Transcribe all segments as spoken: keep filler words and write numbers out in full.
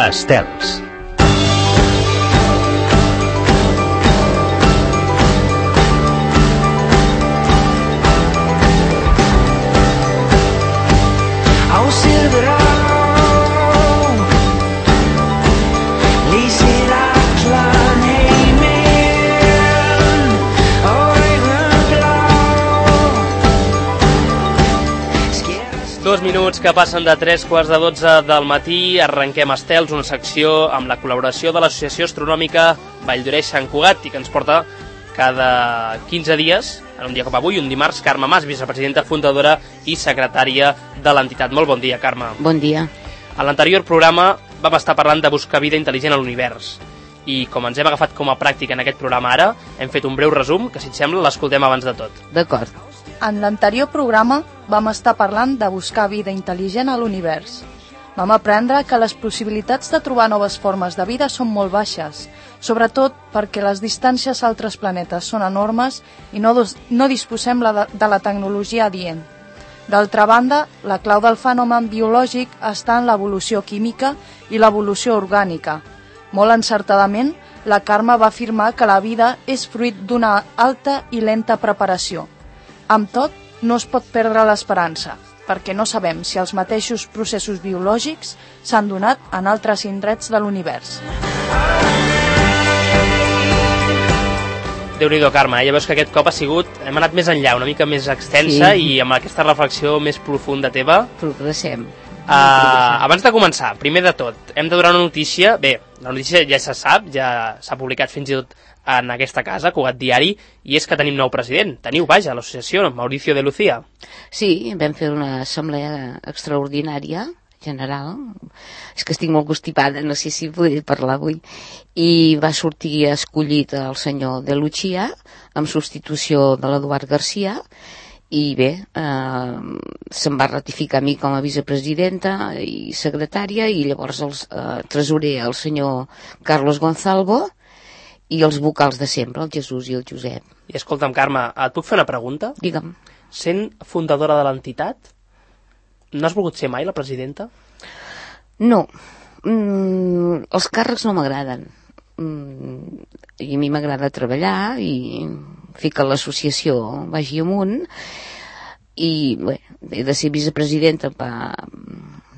Estels. Dos minuts que passen de tres quarts de dotze del matí, arrenquem Estels, una secció amb la col·laboració de l'Associació Astronòmica Valldoreix-Sant Cugat i que ens porta cada quinze dies, en un dia com avui, un dimarts, Carme Mas, vicepresidenta fundadora i secretària de l'entitat. Molt bon dia, Carme. Bon dia. A l'anterior programa vam estar parlant de buscar vida intel·ligent a l'univers i com ens hem agafat com a pràctica en aquest programa ara, hem fet un breu resum que, si et sembla, l'escoltem abans de tot. D'acord. En l'anterior programa vam estar parlant de buscar vida intel·ligent a l'univers. Vam aprendre que les possibilitats de trobar noves formes de vida són molt baixes, sobretot perquè les distàncies a altres planetes són enormes i no, dos, no disposem la de, de la tecnologia adient. D'altra banda, la clau del fenomen biològic està en l'evolució química i l'evolució orgànica. Molt encertadament, la Carme va afirmar que la vida és fruit d'una alta i lenta preparació. Amb tot, no es pot perdre l'esperança, perquè no sabem si els mateixos processos biològics s'han donat en altres indrets de l'univers. Déu-n'hi-do, Carme, ja veus que aquest cop ha sigut, hem anat més enllà, una mica més extensa, sí. I amb aquesta reflexió més profunda teva. Progressem. Uh, abans de començar, primer de tot, hem de donar una notícia. Bé, la notícia ja se sap, ja s'ha publicat fins i tot en aquesta casa, Cugat Diari, i és que tenim nou president. Teniu, vaja, l'associació, Mauricio de Lucía. Sí, vam fer una assemblea extraordinària, general. És que estic molt constipada, no sé si podré parlar avui. I va sortir escollit el senyor de Lucía, amb substitució de l'Eduard Garcia, i bé, eh, se'm va ratificar a mi com a vicepresidenta i secretària, i llavors el eh, tresorer, el senyor Carlos Gonzalvo, i els vocals de sempre, el Jesús i el Josep. I escolta'm, Carme, et puc fer una pregunta? Digue'm. Sent fundadora de l'entitat, no has volgut ser mai la presidenta? No. Mm, els càrrecs no m'agraden. Mm, I a mi m'agrada treballar i fer que l'associació vagi amunt. I bé, he de ser vicepresidenta per,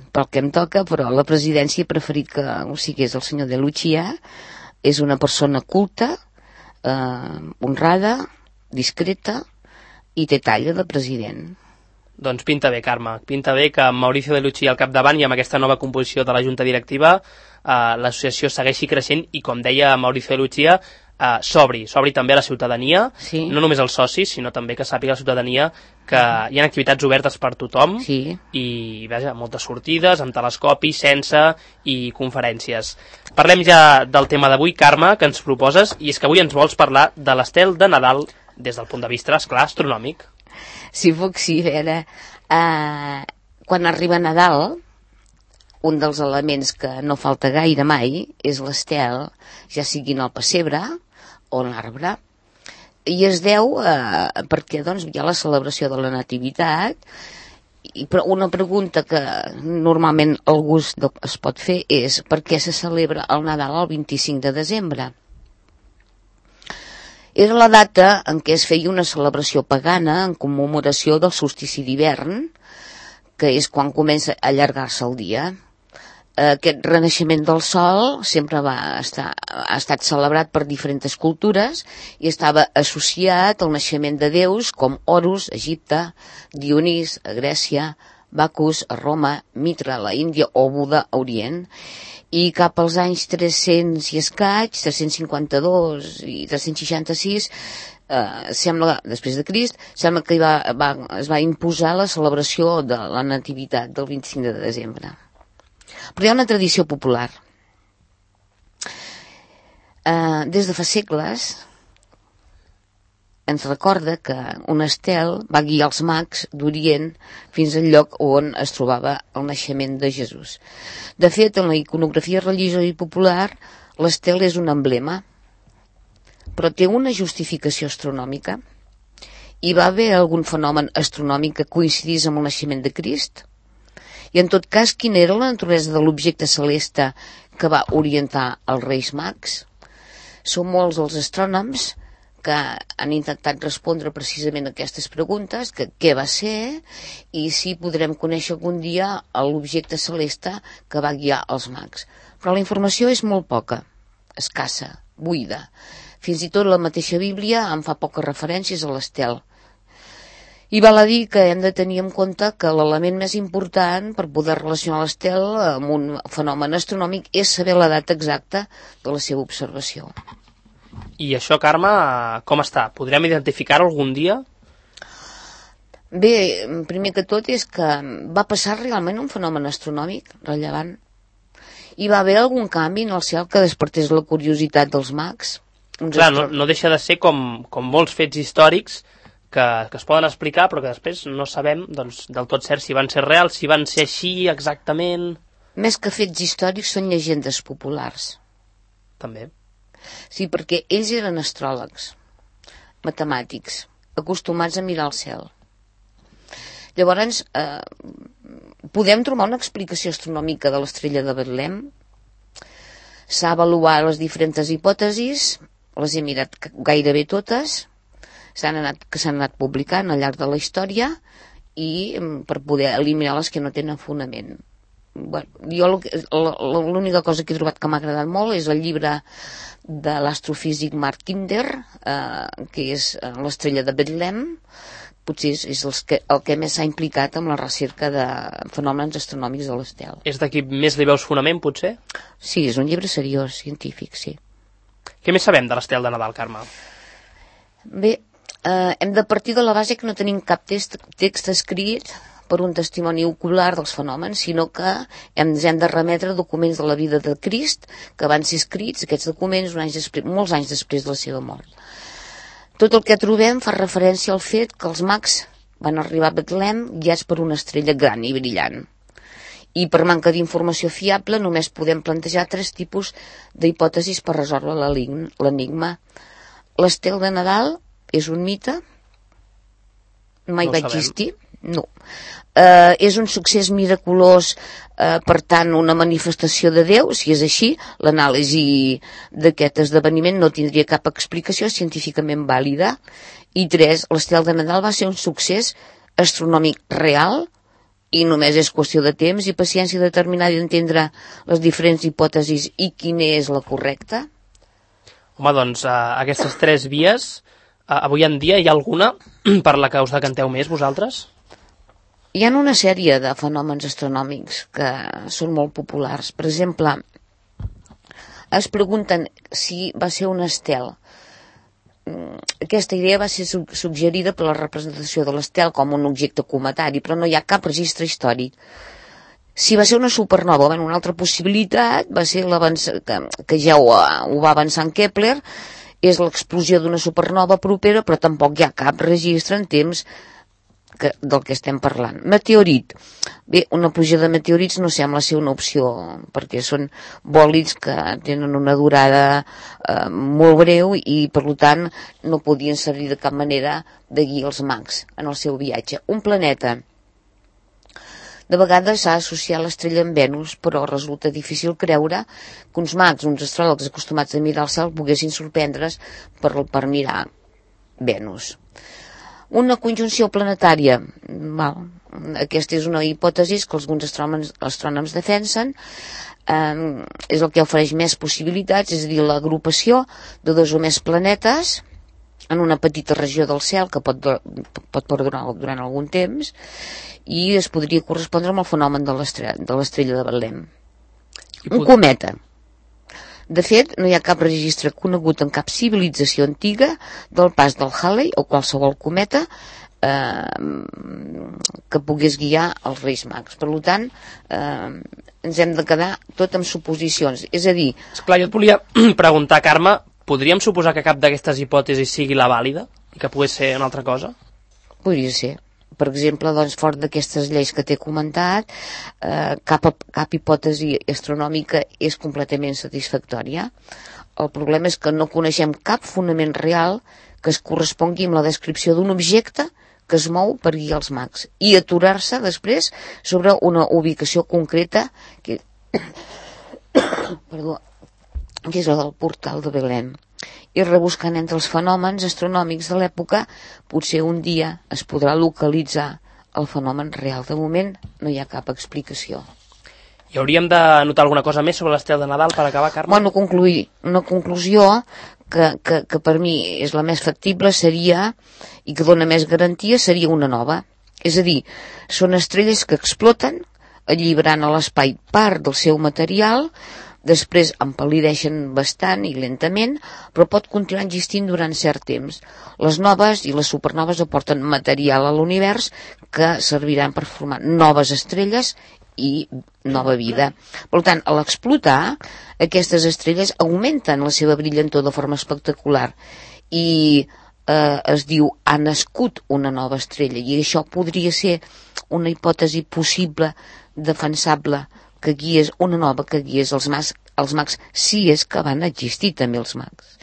pel que em toca, però la presidència he preferit que ho sigués el senyor de Lucía. És una persona culta, eh, honrada, discreta i té talla de president. Doncs pinta bé, Carme. Pinta bé que amb Mauricio de Lucía al capdavant i amb aquesta nova composició de la Junta Directiva eh, l'associació segueixi creixent i, com deia Mauricio de Lucía, eh, s'obri, s'obri també a la ciutadania, sí. No només als socis, sinó també que sàpiga la ciutadania que hi ha activitats obertes per tothom, sí. I vaja, moltes sortides, amb telescopi, sense i conferències. Parlem ja del tema d'avui, Carme, que ens proposes, i és que avui ens vols parlar de l'estel de Nadal des del punt de vista, esclar, astronòmic. Si puc, sí, a veure, eh, quan arriba Nadal, un dels elements que no falta gaire mai és l'estel, ja sigui en el pessebre o en l'arbre, i es deu eh, perquè doncs, hi ha la celebració de la nativitat, i, però una pregunta que normalment algú es pot fer és per què se celebra el Nadal el vint-i-cinc de desembre? Era la data en què es feia una celebració pagana en commemoració del solstici d'hivern, que és quan comença a allargar-se el dia. Aquest renaixement del sol sempre va estar, ha estat celebrat per diferents cultures i estava associat al naixement de déus com Horus, a Egipte, Dionís, a Grècia, Bacus, a Roma, Mitra, a la Índia o Buda, a Orient. I cap als anys tres-cents i escaig, tres-cents cinquanta-dos i tres-cents seixanta-sis, eh, sembla, després de Crist, sembla que va, va, es va imposar la celebració de la nativitat del vint-i-cinc de desembre. Però hi ha una tradició popular. Eh, des de fa segles ens recorda que un estel va guiar els mags d'Orient fins al lloc on es trobava el naixement de Jesús. De fet, en la iconografia religiosa i popular, l'estel és un emblema, però té una justificació astronòmica. Hi va haver algun fenomen astronòmic que coincidís amb el naixement de Crist? I en tot cas, quina era la naturalesa de l'objecte celeste que va orientar els Reis Mags. Són molts els astrònoms que han intentat respondre precisament a aquestes preguntes, que què va ser i si podrem conèixer algun dia l'objecte celeste que va guiar els mags. Però la informació és molt poca, escassa, buida. Fins i tot la mateixa Bíblia en fa poques referències a l'estel. I val a dir que hem de tenir en compte que l'element més important per poder relacionar l'estel amb un fenomen astronòmic és saber la data exacta de la seva observació. I això, Carme, com està? Podrem identificar-ho algun dia? Bé, primer que tot és que va passar realment un fenomen astronòmic rellevant. Hi va haver algun canvi en el cel que despertés la curiositat dels mags? Clar, no, no deixa de ser com, com molts fets històrics que, que es poden explicar, però que després no sabem doncs, del tot cert si van ser reals, si van ser així exactament... Més que fets històrics són llegendes populars. També. Sí, perquè ells eren astròlegs, matemàtics, acostumats a mirar el cel. Llavors, eh, podem trobar una explicació astronòmica de l'estrella de Betlem. S'ha avaluat les diferents hipòtesis, les he mirat gairebé totes, s'han anat, que s'han anat publicant al llarg de la història i per poder eliminar les que no tenen fonament. Bueno, jo l'única cosa que he trobat que m'ha agradat molt és el llibre de l'astrofísic Mark Kinder, eh, que és l'estrella de Betlem. Potser és, és el, que, el que més s'ha implicat amb la recerca de fenòmens astronòmics de l'estel. És d'aquí més li veus fonament, potser? Sí, és un llibre seriós, científic, sí. Què més sabem de l'estel de Nadal, Carme? Bé, eh, hem de partir de la base que no tenim cap text, text escrit per un testimoni ocular dels fenòmens, sinó que hem, hem de remetre documents de la vida de Crist que van ser escrits, aquests documents, un any després, molts anys després de la seva mort. Tot el que trobem fa referència al fet que els mags van arribar a Betlem guiats per una estrella gran i brillant. I per manca d'informació fiable només podem plantejar tres tipus d'hipòtesis per resoldre l'enigma. L'estel de Nadal és un mite? Mai No va sabem. existir? No. Eh, és un succés miraculós, eh, per tant una manifestació de Déu? Si és així, l'anàlisi d'aquest esdeveniment no tindria cap explicació científicament vàlida. I tres, l'estel de Nadal va ser un succés astronòmic real i només és qüestió de temps i paciència determinar i entendre les diferents hipòtesis i quina és la correcta. Home, doncs, uh, aquestes tres vies, uh, avui en dia hi ha alguna per la que us decanteu més, vosaltres? Hi ha una sèrie de fenòmens astronòmics que són molt populars. Per exemple, es pregunten si va ser un estel. Aquesta idea va ser suggerida per la representació de l'estel com un objecte cometari, però no hi ha cap registre històric. Si va ser una supernova, bueno, una altra possibilitat va ser que, que ja ho, ho va avançar en Kepler, és l'explosió d'una supernova propera, però tampoc hi ha cap registre en temps que, del que estem parlant. Meteorit. Bé, una pluja de meteorits no sembla ser una opció, perquè són bòlids que tenen una durada eh, molt breu i, per tant, no podien servir de cap manera de guiar els mags en el seu viatge. Un planeta. De vegades s'ha associat l'estrella amb Venus, però resulta difícil creure que uns mags, uns astròlegs acostumats a mirar el cel, poguessin sorprendre's per, per mirar Venus. Una conjunció planetària. Val. Aquesta és una hipòtesi que alguns astrònoms, astrònoms defensen. Eh, és el que ofereix més possibilitats, és a dir, l'agrupació de dos o més planetes en una petita regió del cel que pot, pot perdurar durant algun temps i es podria correspondre amb el fenomen de l'estrella de Betlem. Un cometa. De fet, no hi ha cap registre conegut en cap civilització antiga del pas del Halley o qualsevol cometa eh, que pogués guiar els Reis Mags. Per tant, eh, ens hem de quedar tot amb suposicions. És a dir... Esclar, jo et volia preguntar, Carme, podríem suposar que cap d'aquestes hipòtesis sigui la vàlida i que pogués ser una altra cosa? Podria ser. Per exemple, doncs, fort d'aquestes lleis que t'he comentat, eh, cap, cap hipòtesi astronòmica és completament satisfactòria. El problema és que no coneixem cap fonament real que es correspongui amb la descripció d'un objecte que es mou per guiar els mags i aturar-se després sobre una ubicació concreta que, perdó, que és el del portal de Belén. I rebuscant entre els fenòmens astronòmics de l'època, potser un dia es podrà localitzar el fenomen real. De moment no hi ha cap explicació. I hauríem de notar alguna cosa més sobre l'estel de Nadal per acabar, Carme? Bueno, concluir, una conclusió que, que, que per mi és la més factible seria, i que dona més garantia, seria una nova. És a dir, són estrelles que exploten, alliberant a l'espai part del seu material, després empal·lideixen bastant i lentament, però pot continuar existint durant cert temps. Les noves i les supernoves aporten material a l'univers que serviran per formar noves estrelles i nova vida. Per tant, a l'explotar, aquestes estrelles augmenten la seva brillantor de forma espectacular i eh, es diu ha nascut una nova estrella, i això podria ser una hipòtesi possible, defensable, que guies una nova, que guies els mags, els mags, si és que van existir també els mags.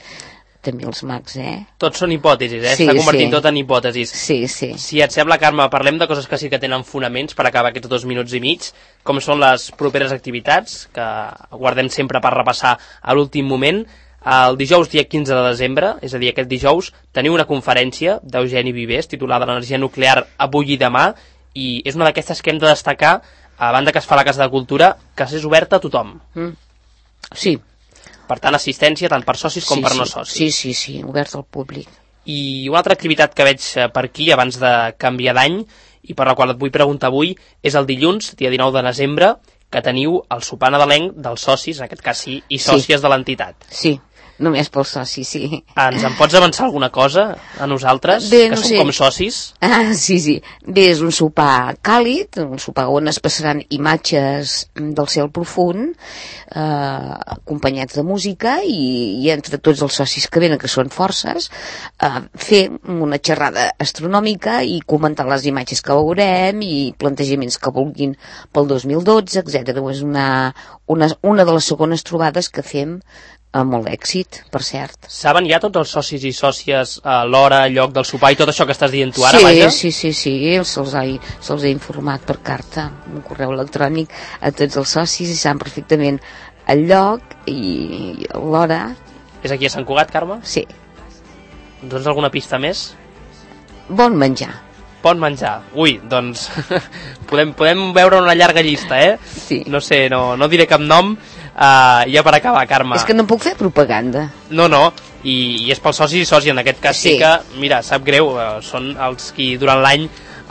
També els mags, eh? Tots són hipòtesis, eh? Sí, Està convertint sí. tot en hipòtesis. Sí, sí. Si et sembla, Carme, parlem de coses que sí que tenen fonaments per acabar aquests dos minuts i mig, com són les properes activitats, que guardem sempre per repassar a l'últim moment. El dijous, dia quinze de desembre, és a dir, aquest dijous, teniu una conferència d'Eugeni Vives titulada l'energia nuclear avui i demà, i és una d'aquestes que hem de destacar, a banda que es fa a la Casa de Cultura, que és oberta a tothom. Mm. Sí. Per tant, assistència tant per socis com sí, per sí. no socis. Sí, sí, sí, obert al públic. I una altra activitat que veig per aquí abans de canviar d'any i per la qual et vull preguntar avui és el dilluns, dia dinou de desembre, que teniu el sopar nadalenc dels socis, en aquest cas sí, i sòcies sí. de l'entitat. Sí, només pels socis, sí. Ens en pots avançar alguna cosa a nosaltres, Bé, que no som sé. com socis? Ah, sí, sí. Bé, és un sopar càlid, un sopar on es passaran imatges del cel profund, eh, acompanyats de música, i, i entre tots els socis que venen, que són forces, eh, fer una xerrada astronòmica i comentar les imatges que veurem i plantejaments que vulguin pel dos mil dotze, etcètera. És una, una, una de les segones trobades que fem amb molt èxit, per cert. Saben ja tots els socis i sòcies a l'hora, lloc del sopar i tot això que estàs dient tu ara, sí, vaja? Sí, sí, sí, se'ls ha, se he informat per carta, un correu electrònic a tots els socis, i saben perfectament el lloc i l'hora. És aquí a Sant Cugat, Carme? Sí. Doncs alguna pista més? Bon menjar. Bon menjar. Ui, doncs podem, podem veure una llarga llista, eh? Sí. No sé, no, no diré cap nom. Uh, ja per acabar, Carme. És que no puc fer propaganda. No, no, i, i és pels socis i socis, en aquest cas sí, sí que, mira, sap greu, uh, són els qui durant l'any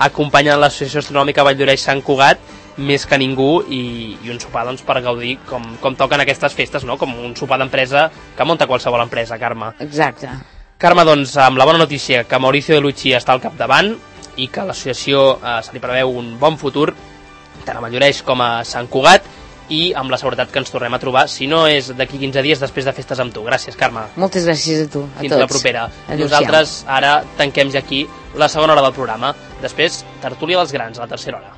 acompanyen l'Associació Astronòmica Vall d'Oreix Sant Cugat més que ningú, i, i un sopar doncs, per gaudir com, com toquen aquestes festes, no? Com un sopar d'empresa que munta qualsevol empresa, Carme. Exacte. Carme, doncs, amb la bona notícia que Mauricio de Lucci està al capdavant i que l'associació uh, se li preveu un bon futur, tant a Vall d'Oreix com a Sant Cugat, i amb la seguretat que ens tornem a trobar, si no és d'aquí quinze dies després de festes amb tu. Gràcies, Carme. Moltes gràcies a tu, a Fins tots. la propera. Adéu-siau. Nosaltres ara tanquem ja aquí la segona hora del programa. Després, tertúlia dels grans, a la tercera hora.